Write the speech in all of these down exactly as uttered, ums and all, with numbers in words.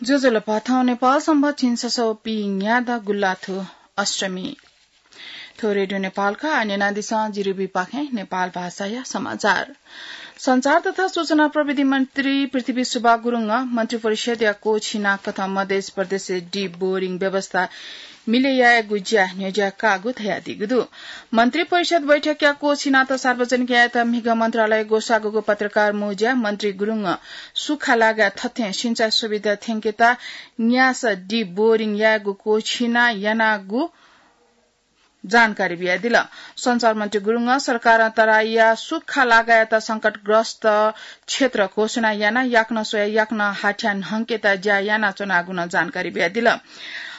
ज्वजलपा, थौं नेपाल संवत् झिंछसः व पीन्यादँ गुल्लाथ्व अष्टमी। थ्व रेडियो नेपालया न्यनादिसँ, जिरिबी पाखें नेपाल भाषाया समाचार। सञ्चार तथा सूचना प्रविधि मन्त्री पृथ्वी सुब्बा गुरुङं मन्त्री परिषद्या कोछिना कथं मधेस प्रदेशय् deep boring व्यवस्था मिले यायेगु ज्या न्ह्यज्याकागु धयादीगु दु। मन्त्री परिषद बैठकया कोछिनात सार्वजनिक यायेत म्हिगः मन्त्रालय ग्वसाःगु पत्रकार मौज्याय् मन्त्री गुरुङं सुखा लागाय् थथें सिँचाइ सुविधा थ्यंकेत न्यासः deep boring यायेगु कोछिना यानागु जानकारी बियादिल। सञ्चार मन्त्री गुरुङं सरकारं तराईया सुखा लागाय्‌यात संकटग्रस्त क्षेत्र घोषणा यानाः याकनं स्वयाः याकनं हाथ्या न्हंकेत ज्या यानाच्वनागु नं जानकारी बियादिल।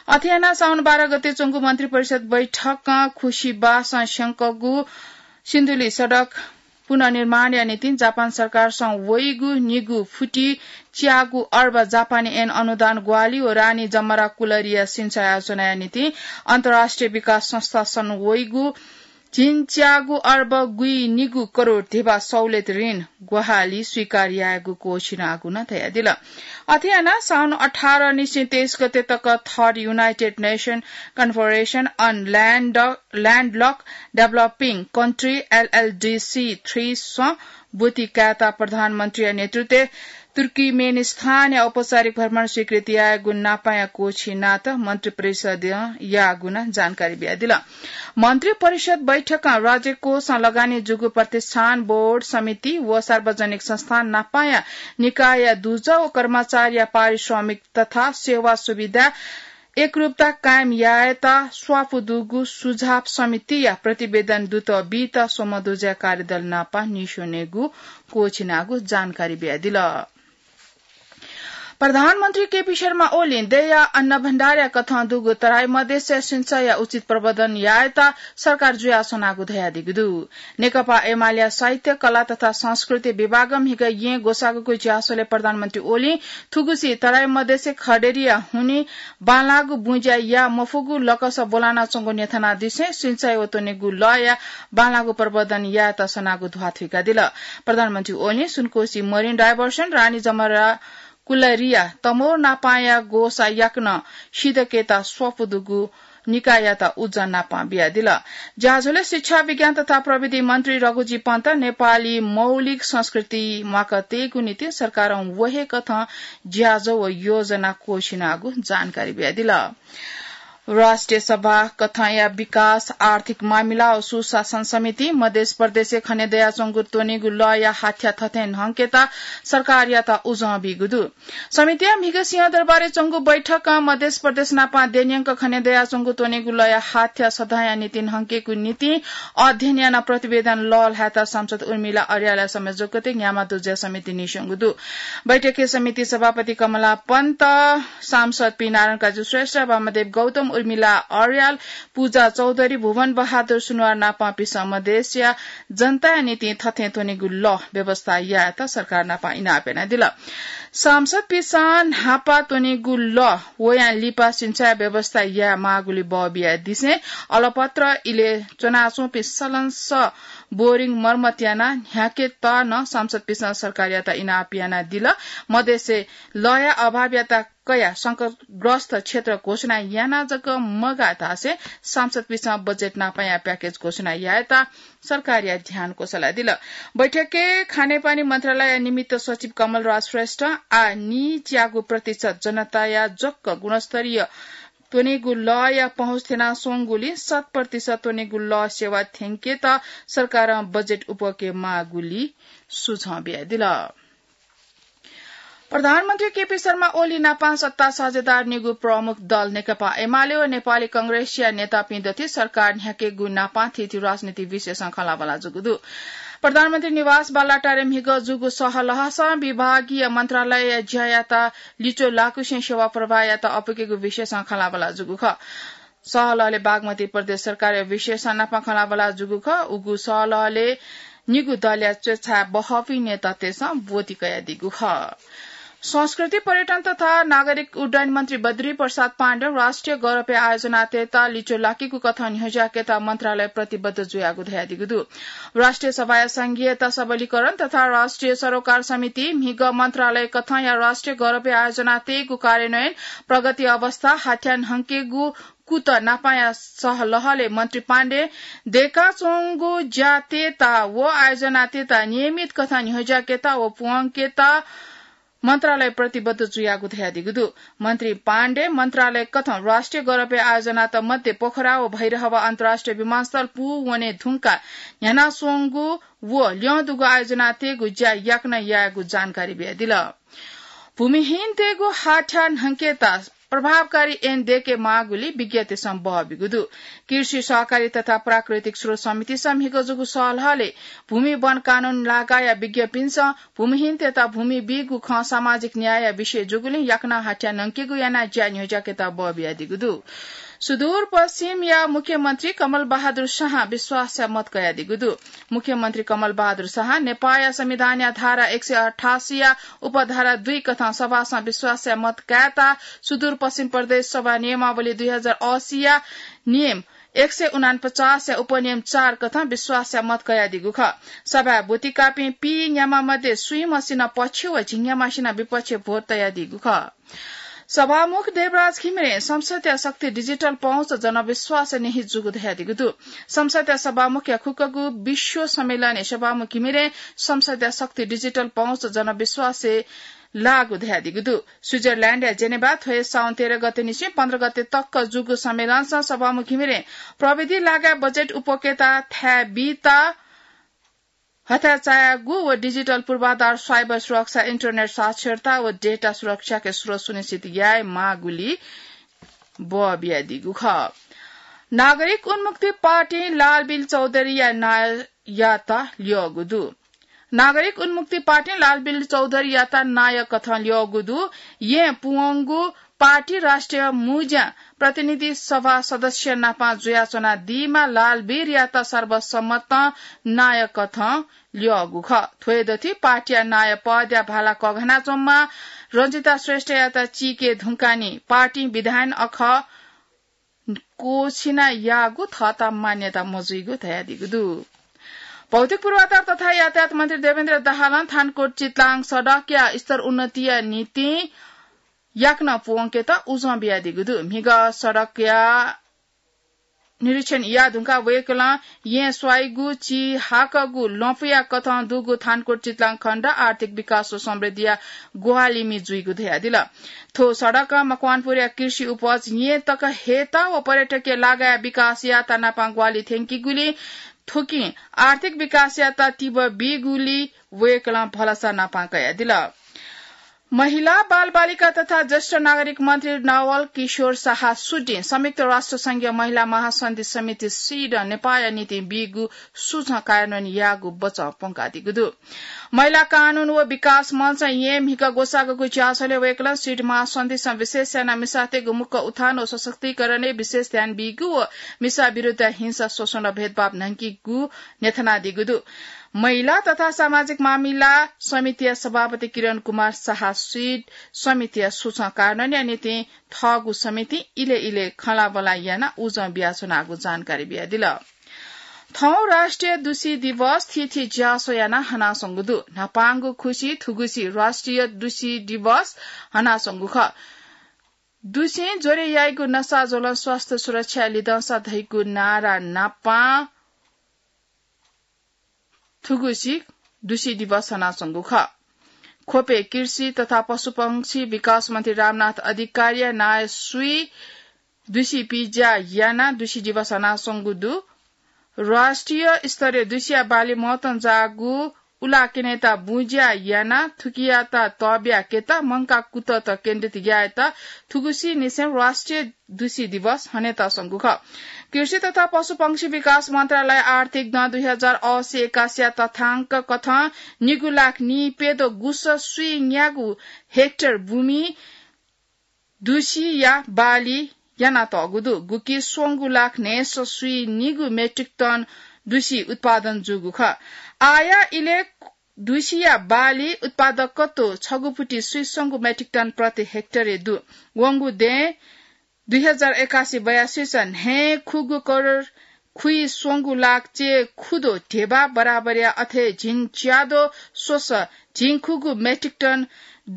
अथे यानाः साउन बाह्र गते च्वंगु मन्त्री परिषद बैठकं खुसीबासं स्यंकूगु सिन्धुली सडक पुनर्निर्माणया निंतिं जापान सरकारसं वइगु निगू फुति च्यागू अर्ब जापानी येन अनुदान ग्वाहालि व रानी जमरा कुलरिया सिँचाइ याचनाया निंतिं अन्तर्राष्ट्रिय विकास संस्थासं वइगु झिंच्यागू अर्ब गुइनिगू करोड धिबा सहुलियत ऋण ग्वाहालि स्वीकार यायेगु कोछिनागु नं धयादिल। अथे यानाः साउन अठार निसें तेइस गते तक Third United Nation Conference on Land, Landlocked Developing Country, LLDC three सं ब्वति कायेत प्रधानमन्त्रीया नेतृत्वय् तुर्कमेनिस्तानया औपचारिक भ्रमण स्वीकृति यायेगु नापांया कोछिनात मन्त्री परिषदं याःगु नं जानकारी बियादिल। मन्त्री परिषद बैठकं राज्य कोषं लगानी जूगु प्रतिष्ठान, बोर्ड, समिति व सार्वजनिक संस्थान नापांया निकायया दुजः व कर्मचारीया पारिश्रमिक तथा सेवा सुविधा एकरूपता कायम यायेत स्वापू दुगु सुझाव समितिया प्रतिवेदन दुत बीत स्वम्ह दुजःया कार्यदल नापं न्ह्यसनेगु कोछिनागु जानकारी बियादिल। प्रधानमन्त्री केपी शर्मा ओलीं देय्‌या अन्नभण्डारया कथं दुगु तराई मधेसया सिँचाइया उचित प्रबन्धन यायेत सरकार जुयाच्वनागु धयादीगु दु। नेकपा एमालेया साहित्य, कला तथा संस्कृति विभागं म्हिगः येँ ग्वसाःगु ज्याझ्वलय् प्रधानमन्त्री ओलीं थुगुसी तराई मधेसय् खडेरीया हुनिं बांलाःगु बुँज्या याये मफुगु लकस ब्वलानाच्वंगु न्ह्यथनादिसें सिँचाइ व त्वनेगु लःया बांलाःगु प्रबन्धन यायेत सनागु ध्वाथुइकादिल। प्रधानमन्त्री ओलीं सुनकोशी marine diversion, रानी जमरा कुलरिया तमोर नापांया ग्वसाः याकनं सिधकेत स्वापू दुगु निकाययात उजं नापं बियादिल। ज्याझ्वलय् शिक्षा, विज्ञान तथा प्रविधि मन्त्री रघुजी पन्त, नेपाली मौलिक संस्कृति म्वाकातयेगु निंतिं सरकारं व हे कथं ज्याझ्वः व योजना क्वःछिनागु जानकारी बियादिल। राष्ट्रिय सभा कथंया विकास, आर्थिक मामिला व सुशासन समितिं मधेस प्रदेशय् खने दयाच्वंगु त्वनेगु लःया हाथ्या थथें न्हंकेत सरकारयात उजं बीगु दु। समितिया म्हिगः सिंहदरबारय् च्वंगु बैठकं मधेस प्रदेश नापं देन्यंक खने दयाच्वंगु त्वनेगु लःया हाथ्या सदँया निंतिं न्हंकेगु निंतिं अध्ययन यानाः प्रतिवेदन लःल्हायेत सांसद उर्मिला अर्यालया संयोजकत्वय् न्ह्यामा दुजः समिति नीस्वंगु दु। बैठकय् समिति सभापति कमला पन्त, सांसद पी नारायण काजी श्रेष्ठ, वामदेव गौतम, उर्मिला अर्याल, पूजा चौधरी, भुवन बहादुर सुनुवार नापं पिसं मधेसया जनताया निंतिं थथें त्वनेगु लः व्यवस्था यायेत सरकार नापं इनाप यानादिल। सांसदपिसं न्हापा त्वनेगु लः वयां लिपा सिंचाइ व्यवस्था याये माःगुलिं बः बियादिसें अलपत्र इलय् च्वनाच्वंपिं सलंसः बोरिङ मर्मत यानाः न्ह्याकेत नं सांसदपिसं सरकारयात इनाप यानादिल। मधेसय् लःया अभावयात कयाः संकटग्रस्त क्षेत्र घोषणा यानाः जक मगाः धाःसें सांसदपिसं बजेट नापंया प्याकेज घोषणा यायेत सरकारया ध्यान क्वसलादिल। बैठकय् खानेपानी मन्त्रालय निमित्त सचिव कमलराज श्रेष्ठ आः नीच्यागू प्रतिशत जनताया जक गुणस्तरीय त्वनेगु लःया पहुँच थ्यनाच्वंगुलिं शत प्रतिशत त्वनेगु लः सेवा थ्यंकेत सरकारं बजेट उपके माःगुलि सुझाव बियादिल। प्रधानमन्त्री केपी शर्मा ओली नापं सत्ता साझेदार निगू प्रमुख दल नेकपा एमाले व नेपाली कांग्रेसया नेतापिं दथुइ सरकार न्ह्याकेगु नापं थीथी राजनीतिक विषयसं खँल्हाबल्हा जूगु दु। प्रधानमन्त्री निवास बालुवाटारय् म्हिगः जूगु सहलहसं विभागीय मन्त्रालयया ज्यायात लिच्वः लाकुसें सेवा प्रवाहयात अपुकेगु विषयसं खँल्हाबल्हा जूगु खः। सहलहलय् बागमती प्रदेश सरकारया विषयसं नापं खँल्हाबल्हा जूगु खः। उगु सहलहलय् निगू दलया च्वछाय् बहःपिं नेतातय्सं ब्वति कयादीगु खः। संस्कृति, पर्यटन तथा नागरिक उड्डयन मन्त्री बद्री प्रसाद पाण्डें राष्ट्रिय गौरवया आयोजनातय्त लिच्वः लाकेगु कथं न्ह्यज्याकेत मन्त्रालय प्रतिबद्ध जुयागु धयादीगु दु। राष्ट्रिय सभाया संघीयता सबलीकरण तथा राष्ट्रिय सरोकार समिति म्हिगः मन्त्रालय कथंया राष्ट्रिय गौरवया आयोजनातय्गु कार्यान्वयन, प्रगति अवस्था, हाथ्यां न्हंकेगु कुतः नापांया सहलहलय् मन्त्री पाण्डें दय्काच्वंगु ज्यातय्त व आयोजनातय्त नियमित कथं न्ह्यज्याकेत व प्वंकेत मन्त्रालय प्रतिबद्ध जुयागु धयादीगु दु। मन्त्री पाण्डें मन्त्रालय कथं राष्ट्रिय गौरवया आयोजनात मध्ये पोखरा व भैरहवा अन्तर्राष्ट्रिय विमानस्थल पूवने धुंकाः न्ह्यानाच्वंगु व ल्यं दुगु आयोजनातय्गु ज्या याकनं यायेगु जानकारी बियादिल। भूमिहीनतय्गु हाथ्यां न्हंकेत प्रभावकारी ऐन दय्के माःगुलिं विज्ञतय्सं बः बीगु दु। कृषि, सहकारी तथा प्राकृतिक स्रोत समितिसं म्हिगः जूगु सहलहलय् भूमि वन कानून लागाःया विज्ञपिन्सं भूमिहीनतय्त भूमि बीगु खँ सामाजिक न्यायया विषय जूगुलिं याकनं हाथ्यां न्हंकेगु यानाः ज्या न्ह्यज्याकेत बः बियादीगु दु। सुदूरपश्चिमया मुख्यमन्त्री कमल बहादुर शाहं विश्वासया मत कयादीगु दु। मुख्यमन्त्री कमल बहादुर शाहं नेपाःया संविधानया धारा एक सय अठासीया उपधारा दुई कथं सभासं विश्वासया मत कायेत सुदूरपश्चिम प्रदेश सभा नियमावली दुई हजार असीया नियम एक सय उनापचासया उपनियम चार कथं विश्वासया मत कयादीगु खः। सभाय् ब्वति काःपिं पीन्याम्ह मध्ये स्वीम्हसिनं पक्ष व झिंन्याम्हसिनं विपक्ष भोट तयादीगु खः। सभामुख देवराज घिमिरें संसदया शक्ति डिजिटल पहुँच जनविश्वासया निंतिं जूगु धयादीगु दु। संसदया सभामुखया खुक्कगु विश्व सम्मेलनय् सभामुख घिमिरें संसदया शक्ति डिजिटल पहुँच जनविश्वासय् लाःगु धयादीगु दु। स्विजरल्याण्डया जेनेभा थ्व हे साउन तेह्र गते निसें पन्ध्र गते तक जूगु सम्मेलनसं सभामुख घिमिरें प्रविधि लागाय् बजेट उपभोक्ता थाय् बीत हथाय् चायागु व डिजिटल पूर्वाधार, साइबर सुरक्षा, इन्टरनेट साक्षरता व डेटा सुरक्षाके स्रोत सुनिश्चित याये माःगुलिं बः बियादीगु खः। नागरिक उन्मुक्ति पार्टी लालबीर चौधरीया नायःयात ल्यःगु दु। नागरिक उन्मुक्ति पार्टीं लालबीर चौधरीयात नायः कथं ल्यःगु दु। येँ पूवंगु पार्टी राष्ट्रिय मुँज्यां प्रतिनिधि सभा सदस्य नापं जुयाच्वनादीम्ह लालबीरयात सर्वसम्मतं नायः कथं ल्यःगु खः। थ्व हे दथुइ पार्टीया नायः पदया भाला कःघानाच्वंम्ह रञ्जिता श्रेष्ठयात चीके धुंकाः निं पार्टीं विधायन अखः क्वःछिना याःगु थःत मान्यता मजुइगु धयादीगु दु। भौतिक पूर्वाधार तथा यातायात मन्त्री देवेन्द्र दाहालं थानकोट चितलाङ सडकया स्तर उन्नतिया निंतिं याकनं पूवंकेत उजं बियादीगु दु। म्हिगः सडकया निरीक्षण याये धुंकाः वय्कलं येँ स्वाइगु चिहाकःगु लँपुया कथं दुगु थानकोट चितलाङ खण्ड आर्थिक विकास व समृद्धिया ग्वाहालिमि जुइगु धयादिल। थ्व सडकं मकवानपुरया कृषि उपज येँ तक हयेत व पर्यटकीय लागाया विकास यायेत नापं ग्वाहालि थ्यंकीगुलिं थुकिं आर्थिक विकासयात तीव्र बीगुली वय्कलं भलसा नापं कयादिल। महिला, बालबालिका तथा ज्येष्ठ नागरिक मन्त्री नवल किशोर शाह सुटिं संयुक्त राष्ट्र संघीय महिला महासन्धि समिति, सिडं नेपाःया निंतिं बीगु सुझं कार्यान्वयन यायेगु बचं प्वंकादीगु दु। महिला कानून व विकास मञ्चं येँ म्हिगः ग्वसाःगु ज्याझ्वलय् वय्कलं सिड महासन्धिसं विशेष यानाः मिसातय्गु मुक्कं उत्थान व सशक्तिकरणय् विशेष ध्यान बीगु व मिसा विरुद्ध हिंसा, शोषण र भेदभाव न्हंकीगु न्ह्यथनादीगु दु। महिला तथा सामाजिक मामिला समितिया सभापति किरण कुमार शाह सिड समितिया सुझं कार्यान्वयनया निंतिं थःगु समितिं इलय् इलय् खँल्हाबल्हा यानाः उजं बियाच्वनागु जानकारी बियादिल। थौं राष्ट्रिय दुसी दिवस थीथी ज्यासो यानाः हनाच्वंगु दु। न्हापांगु खुसि थुगुसी राष्ट्रिय दुसी दिवस हनाच्वंगु खः। दुसिं ज्वरे याइगु नसा ज्वलं स्वास्थ्य सुरक्षा लिधंसा धइगु नारा नापं थुगुसी दुसी दिवस हनाच्वंगु खः। ख्वपय् कृषि तथा पशुपंक्षी विकास मन्त्री रामनाथ अधिकारीया नायःसुइ दुसी पिज्या यानाः दुसी दिवस हनाच्वंगु दु। राष्ट्रिय स्तरय् दुसिया बाली महत्वं जाःगु उलाकेनेत बुँज्या यानाः थुकियात तःब्याकेत मंकाः कुतःत केन्द्रित यायेत थुगुसी निसें राष्ट्रिय दुसी दिवस हनेत स्वंगु खः। कृषि तथा पशुपंक्षी विकास मन्त्रालय आर्थिक दँ दुई हजार असी एकासीया तथ्याङ्क कथं निगू लाख नीप्यदँ गुसः स्वीन्यागू हेक्टर भूमि दुसिया बाली यानातःगु दु। गुकी स्वंगू लाख न्हय्सः स्वीनिगू मेट्रिक टन दुसी उत्पादन जूगु खः। आःया इलय् दुसिया बाली उत्पादकत्व छगू पुटी स्वीसंगु मेट्रिक टन प्रति हेक्टरय् दु। वंगु दँय् दुई हजार एकासी बयासीस न्हय् खुगू करोड खुइस्वंगू लाख चे खुदो ढेबा बराबरया अथे झिंच्यादो स्वस झिंखुगू मेट्रिक टन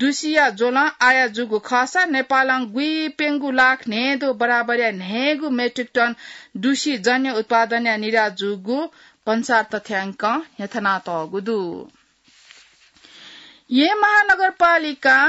दुसिया ज्वलं आया जूगु खःसा नेपालं गुइप्यंगू लाख न्हय्दो बराबरया न्हय्गू मेट्रिक टन दुसी जन्य उत्पादनया निर्यात जूगु भन्सार तथ्यांकं न्ह्यथनातःगु दु। येँ महानगरपालिकां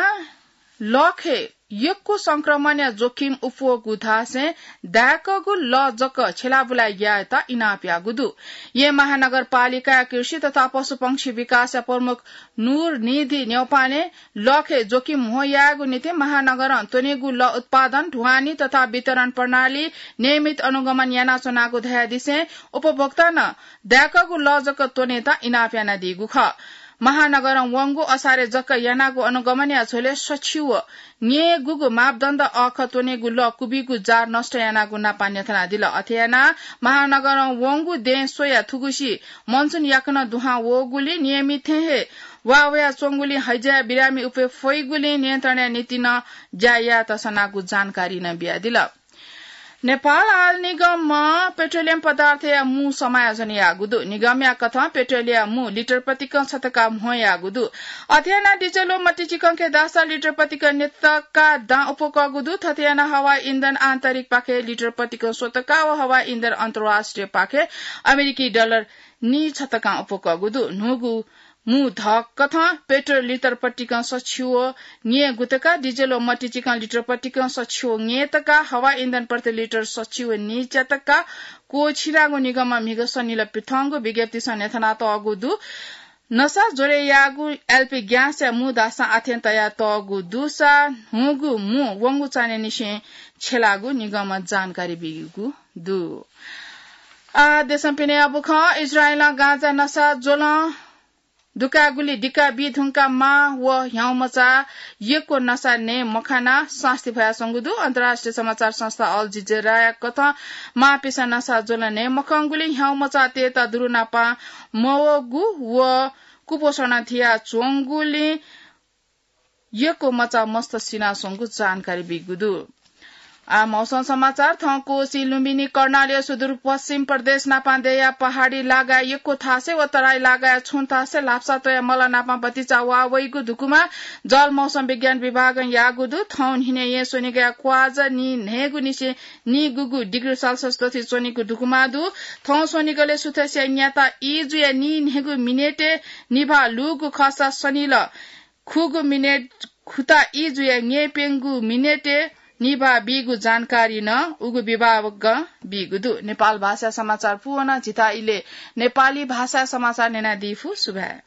लखय् यक्व संक्रमणया जोखिम उप्वःगु धासें दाय्कःगु लः जक छ्यलाबुलाय् यायेत इनाप याःगु दु। येँ महानगरपालिकाया कृषि तथा पशुपंक्षी विकासया प्रमुख नूर निधि न्यौपाने लखय् जोखिम म्हो यायेगु निंतिं महानगरं त्वनेगु लः उत्पादन, ढुवानी तथा वितरण प्रणाली नियमित अनुगमन यानाच्वनागु धयादिसें उपभोक्तां नं दाय्कःगु लः जक त्वनेत इनाप यानादीगु खः। महानगरं वंगु असारय् जक यानागु अनुगमनया झ्वलय् सछि व न्यय्गुगु मापदण्ड अःखः त्वनेगु लः कुबिगु जार नष्ट यानागु नापं न्ह्यथनादिल। अथे यानाः महानगरं वंगु दँय् स्वयाः थुगुसी मनसुन याकनं दुहां वःगुलिं नियमित थें हे वा वयाच्वंगुलिं हैजा बिरामी उप्वये फइगुलिं नियन्त्रणया निंतिं नं ज्या यायेत सनागु जानकारी नं बियादिल। नेपाल आयल निगमं पेट्रोलियम पदार्थया मू समायोजन याःगु दु। निगमया कथं पेट्रोलया मू लिटर प्रतिकं छ तका म्हो याःगु दु। अथे यानाः डिजल व मतिचिकंके धाःसा लिटर प्रतिकं नीतका दां उप्वकःगु दु। थथे यानाः हवाई इन्धन आन्तरिकपाखे लिटर प्रतिकं स्वतका व हवाई इन्धन अन्तर्राष्ट्रियपाखे अमेरिकी डलर नीछ तकां उप्वकःगु दु। न्हूगु मू धकथं पेट्रोल लिटर प्रतिकं सछि व न्यय्गु तका, डिजल व मतिचिकं लिटर प्रतिकं सछि व न्यय् तका, हवाई इन्धन प्रति लिटर सछि व नीच्या तका क्वःछिनागु निगमं म्हिगः सनिलय् पिथंगु विज्ञप्तिसं न्ह्यथनातःगु दु। नसा ज्वरे याःगु एलपी ग्यासया मू धाःसां आथें तयातःगु दुसा न्हूगु मू वंगु चान्हय्निसें छ्यलागु निगमं जानकारी बीगु दु। आ, देशं पिने अबु खँ। इजरायलं गाँजा नसा ज्वलं दुकाःगुलिं दिका बी धुंकाः मां व ह्याउँमचा यक्व नसा नये मखनाः सास्ती फयाच्वंगु दु। अन्तर्राष्ट्रिय समाचार संस्था अल जजिराया कथं मांपिसं नसा ज्वलं नये मखंगुलिं ह्याउँमचातय्त दुरुनापां मवःगु व कुपोषणं थियाच्वंगुलिं यक्व मचा मस्त सिनाच्वंगु जानकारी बीगु दु। आ, मौसम समाचार। थौं कोशी लुम्बिनी कर्णाली सुदूरपश्चिम प्रदेश नापां दया पहाडी लागाय् यक्व थासय् व तराई लागाय् छुं थासय् ल्हापसा त्वया मल नापां भतिचा वा वइगु धुकुमा जल मौसम विज्ञान विभागं याःगु दु। थौं न्हिनय् येँ स्वनिगया क्वाजा नीन्हय्गु निसें नीगुगु डिग्री सेल्सियस दथुइ च्वनीगु धुकुमा दु। थौं स्वनिगलय् सुथसिया न्याता ई जुया नीन्हय्गु मिनेटय् निभाः लूगु खःसा सनिल खुगू मिनेट खुता ई जुया न्यय्प्यंगू मिनेटय् निभाः बीगु जानकारी नं उगु विभागं बीगु दु। नेपाल भाषा समाचार पूवना। जिता इले नेपाली भाषा समाचार न्यनादी फु। सुभाय्।